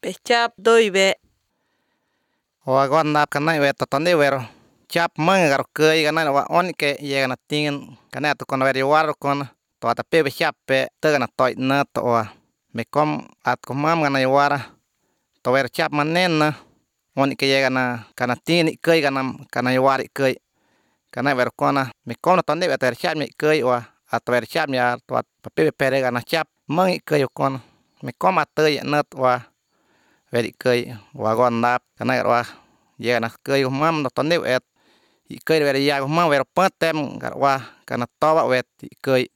Bechap doibe. Oa gon nap kanai we totone wero. Chap mang garo kei ganai wa on ke ye gana tingen kanai to kon weri war kon to ata pe be chap pe te gana toi na to wa. Me kom at ko mam gana wara. To wer chap manen na on ke ye gana kana tingen kei gana kana war kei. Kanai wer kona me kom to ne ter chap me kei wa at wer chap ya to at pe be pere gana chap mang kei kon. Me kom at te na wa weri kei wa gon nap kanai wa ye gana kei mam no to ne et. Ikei weri ya mam wer patem garwa kana toba wet ikei.